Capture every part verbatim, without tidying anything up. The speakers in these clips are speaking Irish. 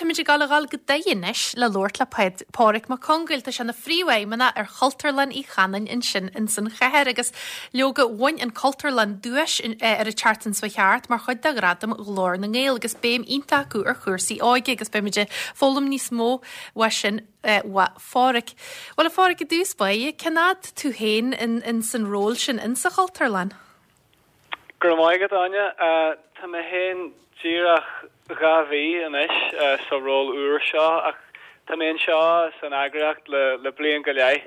Táimid ag gabháil a dhul go Doire anois le labhairt le Pádhraic Mac Congáil. Tá sé ina phríomhfheidhmeannach ar Chultúrlann Uí Chanáin ansin ins an chathair agus leoga bhain an Cultúrlann duais ar an tseachtain seo thart mar chuid de Ghradam Ghlór na nGael agus béim iontach acu ar chúrsaí óige agus beimid ag foghlaim níos mó uaidh sin ó Phádhraic. Bhuel a Phádhraic i dtús báire, cén fhad tú féin in, in san ról sin in sa Chultúrlann? Go raibh maith agat Áine Tá mé féin díreach dhá mhí anois sa ról úr seo ach tá mé anseo san eagraíocht le le bliain go leith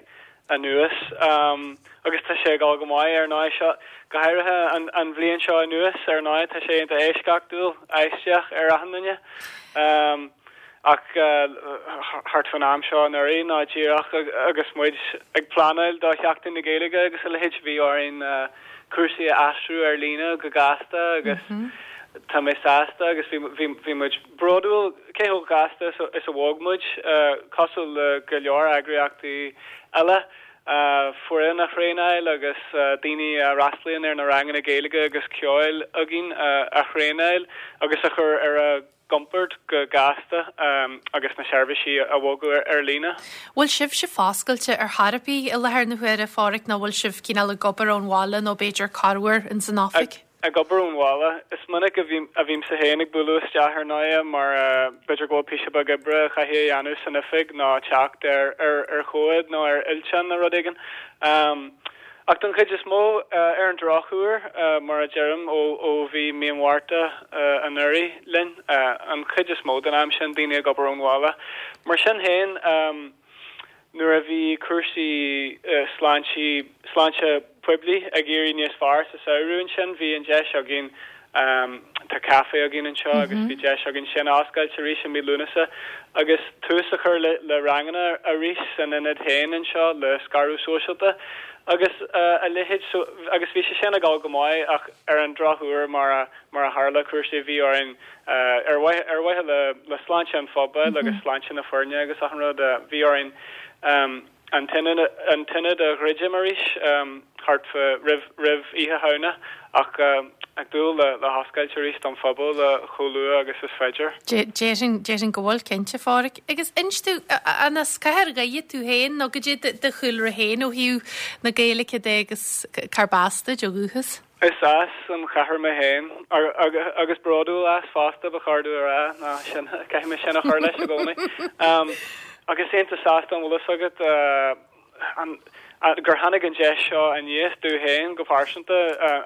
anuas um, agus tá sé ag dul go maith ar ndóigh seo go háirithe an, an bhliain seo anuas ar ndóigh tá sé iontach eisceachtúil aisteach ar achan duine. Um, ach uh, thart fan am seo anuraidh ná díreach agus muid ag pleanáil do Sheachtain na Gaeilge agus a leithéid bhí orainn uh, cúrsaí a aistriú ar líne go gasta agus mm -hmm. tá mé sásta agus bhí muid bródúil cé chomh gasta is a bhog muid uh, cosúil le go leor eagraíochtaí eile. Uh, foireann a thraenáil agus uh, daoine a fhreastalaíonn ar na ranganna Gaeilge agus ceoil againn uh, a thraenáil agus a chur ar a gcompord go gasta um, agus na seirbhísí a bhogadh ar, ar líne. Bhfuil sibh foscailte ar chor ar bith i láthair na huaire Phádhraic nó bhfuil sibh cineál ag obair ón bhaile nó b'fhéidir corruair in san oifig? Ag obair ón bhaile is minic a a bhímse féin ag bualadh isteach ar ndóigh mar uh, b'fhéidir go bhfuil píosa beag oibre caithfidh a dhéanamh san oifig ná teacht ar ar ar chomhad nó ar fhillteán nó rud éigin. Um, ach don chuid is mó uh, ar an drochuair uh, mar a deirim ó ó bhí mí an Mhárta uh, anuraidh linn uh, an chuid is mó den am sin daoine ag obair ón bhaile. Mar sin féin um, nuair a bhí cúrsaí uh, sláinte sláinte poiblí ag éirí níos fearr sa samhradh sin bhí an deis againn um, tá café againn anseo mm -hmm. agus bhí deis againn sin oscailt arís i mí Lúnasa agus tús a chur le, le ranganna arís san ionad féin anseo le scaradh sóisialta agus uh, a leithéid so, agus bhí sé sin ag dul go maith ach ar an drochuair mar a mar a tharla cúrsaí bhí orainn uh, ar ar mhaithe le le sláinte an phobail mm -hmm. agus sláinte na foirne agus achan rud uh, bhí orainn um, an an t-ionad a dhruidim arís um, thart roimh roimh Oíche Shamhna ach uh, ag dúil le le hoscailt arís don phobal le chomh luath agus is féidir. Déarfainn go bhfuil cinnte Phádhraic. Agus inis domh an as cathair Dhoire tú féin nó goidé do chúlra féin ó thaobh na Gaeilge de agus cárb as duit ó dhúchas? Is as an chathair mé féin agus bródúil as fosta ba chóir domh a rá ná sin caithfidh mé sin a chur leis i gcónaí. Um, agus iontach sásta an bhfuil fhios agat uh, an gur tháinig an deis seo aníos domh féin go pearsanta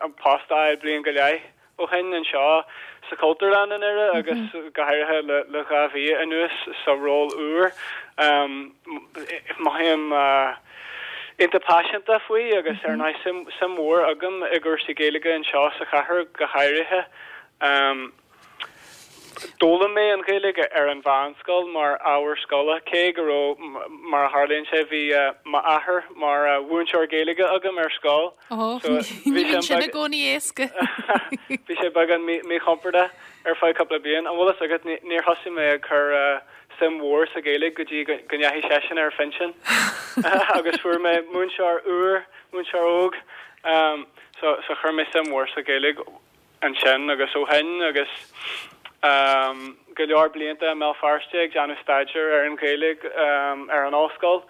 an post a fháil bliain go leith ó shin anseo sa Chultúrlann in Doire agus mm -hmm. go háirithe le le dhá mhí anuas sa ról úr. Um, Mothaím uh, iontach paiseanta faoi agus ar ndóigh suim suim mhór agam i gcúrsaí Gaeilge anseo sa chathair go háirithe. Um, D'fhoghlaim mé an Ghaeilge ar an mheánscoil mar ábhar scoile cé go raibh mar a tharlaíonn sé bhí uh, m'athair mar uh, mhúinteoir Gaeilge agam ar scoil. So, bhí sin i gcónaí éasca. Bhí sé beagán míchompordach ar feadh cúpla bliain an bhfuil fhios agat níor thosaigh mé ag cur uh, suim mhór sa Ghaeilge go dtí go ndeachaigh seisean ar phinsean agus fuair mé múinteoir úr múinteoir óg um, so, so chuir mé suim mhór sa Ghaeilge ansin agus ó shin agus um, go leor blianta i mBéal Feirste ag déanamh staidéar ar an Ghaeilge um, ar an ollscoil.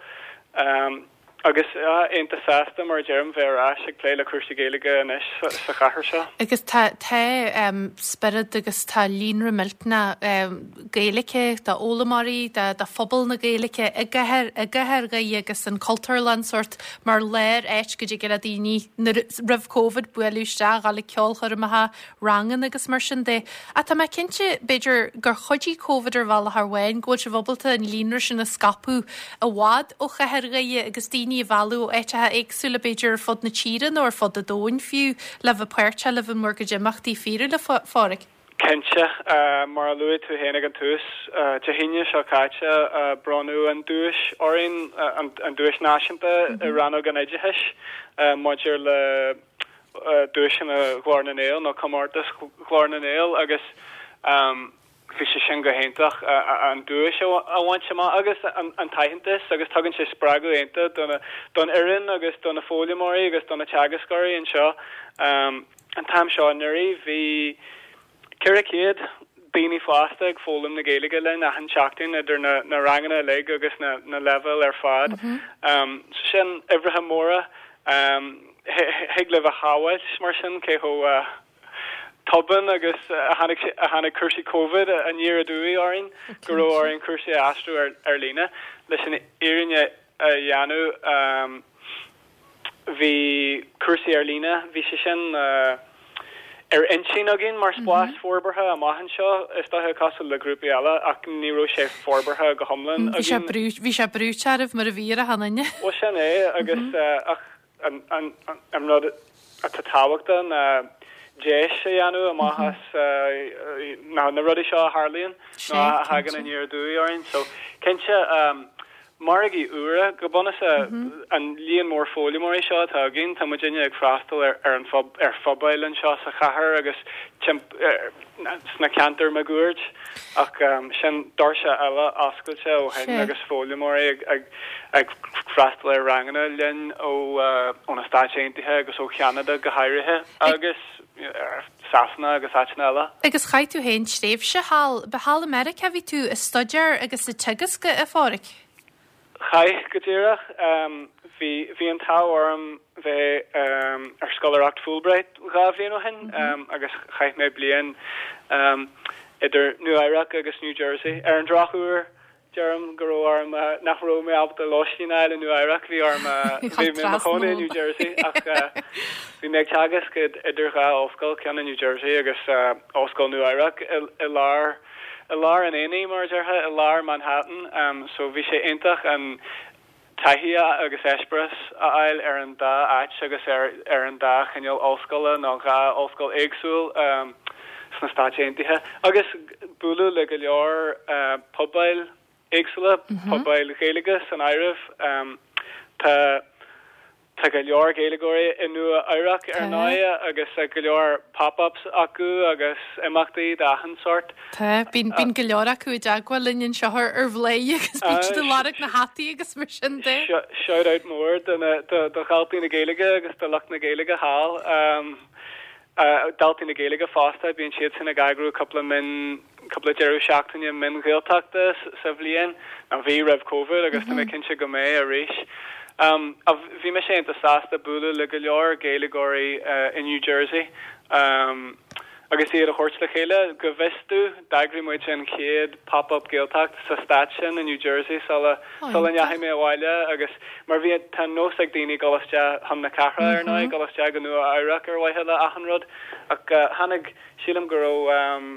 Um, agus iontach sásta mar deirim bheith ar ais ag plé le cúrsaí Gaeilge anois sa chathair seo. Agus tá tá um, spiorad agus tá líonra millteanach um, Gaeilge tá d'fhoghlaimeoirí de de phobal na Gaeilge i gcathair i gcathair Dhoire agus an Cultúrlann sórt mar léir áit go dtig le daoine roimh Covid bualadh isteach le ceolchoirmeacha ranganna agus mar sin de. A tá mé cinnte b'fhéidir gur chuidigh Covid ar bhealach amháin go bhfuil sibh ábalta an líonra sin a scaipeadh i bhfad ó chathair Dhoire agus daoine a mhealladh ó áiteacha éagsúla b'fhéidir ar fud na tíre nó ar fud an domhain fiú le bheith páirteach le bhur gcuid imeachtaí fíorúla Phádhraic. Cinnte uh, mar a luaigh tú féin ag an tús uh, Dé hAoine seo caite uh, bronnadh an duais orainn uh, an, an duais náisiúnta mm -hmm. i rannóg an oideachais uh, maidir le uh, duaiseanna Ghlór na nGael nó comórtas Ghlór na nGael agus um, bhí sé sin go hiontach an duais a bhaint amach agus an, an t-aitheantas agus tugann sé spreagadh iontach don don fhoireann agus do na foghlaimeoirí agus do na teagascóirí anseo. Um, an t-am seo anuraidh bhí ceithre chéad daoine fásta ag foghlaim na Gaeilge linn achan seachtain idir na, na ranganna uilig agus na, na leibhéil ar fad. Mm -hmm. um, so sin uimhreacha móra um, thig libh a shamhailt mar sin cé chomh uh, tobann agus a tháinig a tháinig cúrsaí Covid aniar aduaidh orainn go raibh orainn cúrsaí a aistriú ar, ar líne leis an fhírinne a dhéanamh um, bhí cúrsaí ar líne bhí sé sin uh, ar intinn againn mar spás mm -hmm. forbartha amach anseo is dócha cosúil le grúpaí eile ach ní raibh sé forbartha go hiomlán Bhí sé bhí sé brúite oraibh mar a bhí ar achan duine. Well sin é agus mm -hmm. uh, ach an, an, an, an rud atá tábhachtach ná deis a dhéanamh amach as na na rudaí seo a tharlaíonn ná a thagann aniar aduaidh orainn so cinnte um, margaí úra go bunúsach an líon mór foghlaimeoirí seo atá againn tá muidinne ag freastal ar, ar an phob, ar phobail anseo sa chathair agus sna ceantair máguaird ach um, sin doirse eile oscailte ó shin agus foghlaimeoirí ag, ag, ag freastal ar ranganna linn ó uh, ó na Stáit Aontaithe agus ó Cheanada go háirithe agus Sasana agus áiteanna eile. Agus chaith tú féin tréimhse thall ba thall i Meiriceá bhí tú ag staidéar agus ag teagasc a Pháraic. Chaith go díreach um, bhí bhí an t-ádh orm bheith um, ar scoláireacht Fulbright dhá bhliain ó shin mm -hmm. um, agus chaith mé bliain um, idir Nua Eabhrac agus New Jersey. Ar an drochuair deirim go raibh orm uh, nach raibh mé ábalta lóistín a fháil i Nua Eabhrac bhí orm uh, bhí mé i mo chónaí i New Jersey ach uh, bhí mé ag teagasc idir dhá ollscoil ceann i New Jersey agus uh, Ollscoil Nua Eabhrac i, i lár i lár an aonaigh mar a déarfá i lár Manhattan um, so bhí sé iontach an taithí agus eispéireas a fháil ar an dá áit agus ar, ar an dá chineál ollscoile nó dhá ollscoil éagsúil um, sna Stáit Aontaithe agus bualadh le go leor uh, pobail éagsúla mm -hmm. pobail Ghaeilge san áireamh um, tá Tá go leor Gaeilgeoirí i Nua Eabhrac ar ndóigh agus go leor pop-ups acu agus imeachtaí d'achan sórt. Tá bíonn bíonn go leor acu i dteagmháil linn anseo ar Bhladhaire agus bíonn siad ag lorg na hataí agus mar sin de. Shout out mór do do dhaltaí na Gaeilge agus do lucht na Gaeilge thall. Um, uh, daltaí na Gaeilge fosta bíonn siad sin ag eagrú cúpla min cúpla deireadh seachtaine min Ghaeltachta sa bhliain a bhí roimh Covid agus mm -hmm. tá mé cinnte go mbeidh arís. Um, bhí mé sé sásta bualadh le go leor Gaeilgeoirí uh, in New Jersey. Um, agus iad a thabhairt le chéile go bhfios domh d'eagraigh muid an chéad pop-up Gaeltacht sa stát sin in New Jersey sula sula ndeachaigh mé abhaile agus mar bhí tá nós ag daoine dul isteach chun na cathrach ar ndóigh dul isteach go Nua Eabhrac ar mhaithe le achan rud ach uh, tháinig sílim go raibh um,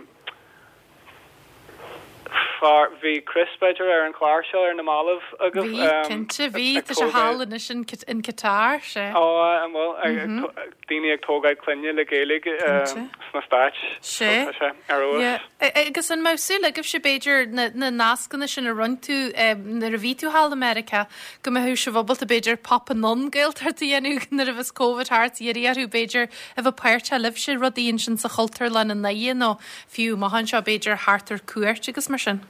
Far bhí Chris b'fhéidir ar an chlár seo ar na mallaibh agus cinnte bhí tá sé thall anois in in Qatar sé. Ó an bhfuil daoine ag tógáil clainne le Gaeilge sna Stáit Sé ar eolas. Agus an mbeadh súil agaibhse b'fhéidir na na nascanna sin a rinne tú nuair a bhí tú thall i Meiriceá go mbeadh sibh ábalta b'fhéidir pop anonn Gaeltacht a dhéanamh nuair a bheas Covid thart iarraidh orthu b'fhéidir a bheith páirteach libhse rudaí ansin sa Chultúrlann i nDoire nó fiú amach anseo b'fhéidir thart ar cuairt agus mar sin.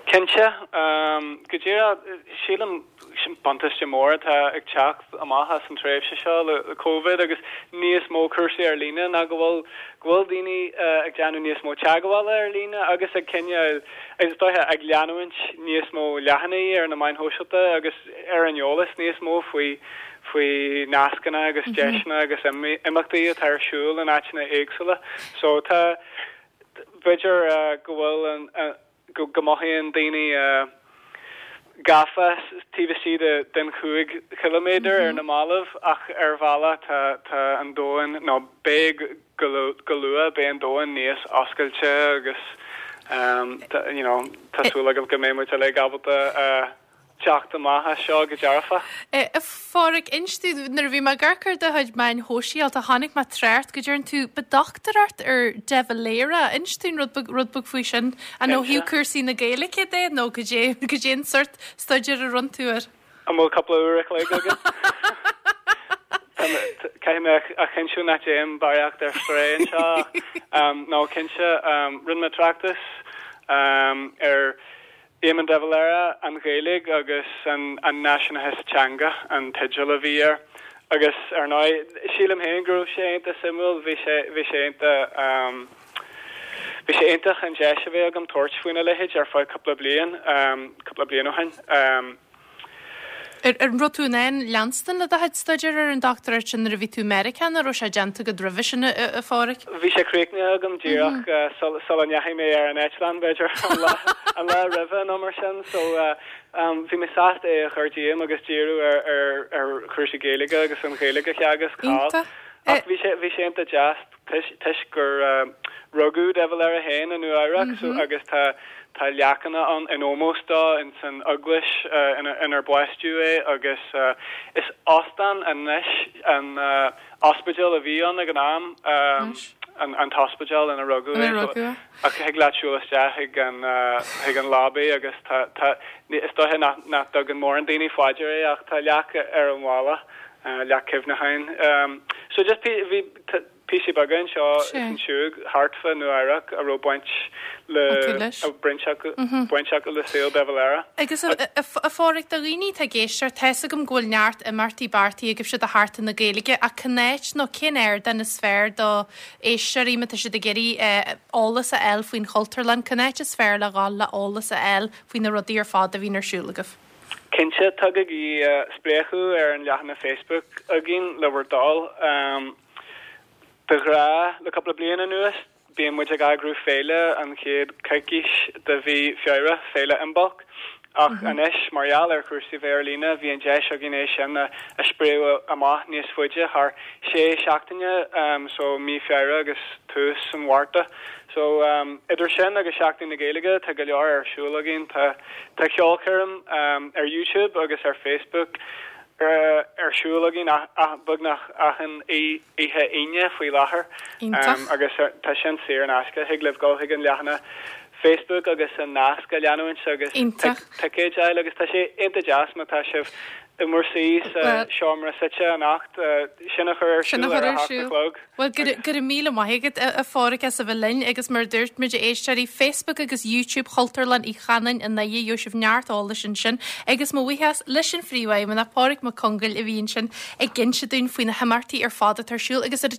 Cinnte um, go díreach sílim sin buntáiste mór atá ag teacht amach as an tréimhse seo le, le Covid agus níos mó cúrsaí ar líne ná go bhfuil go bhfuil daoine uh, ag déanamh níos mó teagmhála ar líne agus ag cineál agus dóiche ag leanúint níos mó leathanaigh ar na meáin shóisialta agus ar an eolas níos mó faoi faoi nascanna agus mm -hmm. deiseanna agus imeachtaí atá ar siúl in áiteanna éagsúla. So tá b'fhéidir uh, go bhfuil an uh, go go mothaíonn daoine uh, gafa taobh istigh de den chúig chiliméadar mm -hmm. ar na mallaibh ach ar bhealach tá tá an domhan nó beidh go go luath beidh an domhan níos oscailte agus um, tá, you know, tá súil agam go mbeidh muid uilig ábalta uh, teacht amach as seo go dearfa. A Pháraic inis domh nuair a bhí mé ag amharc ar do chuid meáin shóisialta tháinig mé trácht go deireann tú ba dochtúireacht ar de Valera inis dúinn rud beag rud beag faoi sin an ó thaobh cúrsaí na Gaeilge de nó go dé go dé an sórt staidéir a rinne tú air. An bhfuil cúpla uair an chloig agat? Caithfidh mé a chinntiú nach dtéim barraíocht ar strae anseo. Um, nó cinnte um, rinne mé tráchtas um, ar Éamon de Valera an Ghaeilge agus an, an náisiúnachas teanga an teideal a bhí air. Agus ar ndóigh sílim féin go raibh sé iontach suimiúil bhí sé bhí sé iontach um, bhí sé iontach an deis a bheith agam tabhairt faoina leithéid ar feadh cúpla bliain um, cúpla bliain ó shin. Um, Ar ar raibh tú in ann leanstan le do chuid staidéir ar an dochtúireacht sin nuair a bhí tú i Meiriceá nó raibh sé déanta agat roimhe sin a, a Pháraic? Bhí sé críochnaithe agam díreach uh, sul sula ndeachaigh mé ar an eitleán b'fhéidir an lá an lá roimhe nó mar sin so uh, um, bhí mé sásta é a chur díom agus díriú ar ar ar chúrsaí Gaeilge agus an Ghaeilge a theagasc thall. Iontach. Ach bhí sé bhí sé iontach deas toisc gur uh, rugadh de Valera féin i Nua-Eabhrac so agus tá tá leacanna an in ómós dó in san eaglais uh, ina inar baisteadh é agus uh, is óstán anois an uh, ospidéal a bhí ann ag an am um, an, an t-ospidéal ina rugadh Ina é, so- rugadh é. ach thig leat siúl isteach chuig an uh, chuig an lobby agus tá tá ní- is dóiche nach nach dtugann mórán daoine faoi deara é ach tá leac ar an bhalla uh, leac cuimhneacháin. Um, so just bhí t- píosaí beaga anseo Sure. ansiúd thart fá Nua-Eabhrac a raibh baint le Acu leis. a baint acu baint acu le saol de Valera. Agus a, a, a Pháraic do dhaoine atá ag éisteacht tá a fhios agam go bhfuil neart imeachtaí beartaithe agaibhse do Sheachtain na Gaeilge ach cén áit nó cén ardán is fearr do éisteoirí má tá siad ag iarraidh eh, eolas a fháil faoin Chultúrlann cén áit is fearr le dhul le eolas a fháil faoi na rudaí ar fad a bhíonn ar siúl agaibh. Cinnte tugaigí uh, spléachadh ar an leathanach Facebook againn le bhur dtoil. Um, de ghnáth le cúpla bliain anuas, bíonn muid ag eagrú féile an chéad coicís de mhí Feabhra féile Imbolc. Ach mm -hmm. anois mar gheall ar chúrsaí bheith ar líne bhí an deis againn é sin a, a spréadh amach níos faide thar sé seachtaine um, so mí Feabhra agus tús an Mhárta. So um, idir sin agus Seachtain na Gaeilge tá go leor ar siúl againn tá tá ceolchoirm um, ar YouTube agus ar Facebook ar, ar siúl againn beagnach achan oíche Aoine faoi láthair Iontach. um, agus ar- tá sin saor in aisce thig libh dul chuig an leathanach Facebook agus an nasc a leanúint agus Iontach. ticéid a fháil agus tá sé iontach deas má tá sibh i bhur suí sa Well- seomra suite anocht uh, sin a chur ar Sin a siúl chur ar a ar hocht a siúl. chlog. Well go raibh míle maith agat a Pháraic as a bheith linn agus mar dúirt muid éisteoirí Facebook agus YouTube Chultúrlann Uí Chanáin i nDoire gheobhaidh sibh neart eolais ansin agus mo bhuíochas leis an phríomhfheidhmeannach Pádraic Mac Congáil a bhí ansin ag insint dúinn faoi na himeachtaí ar fad atá ar siúl agus ar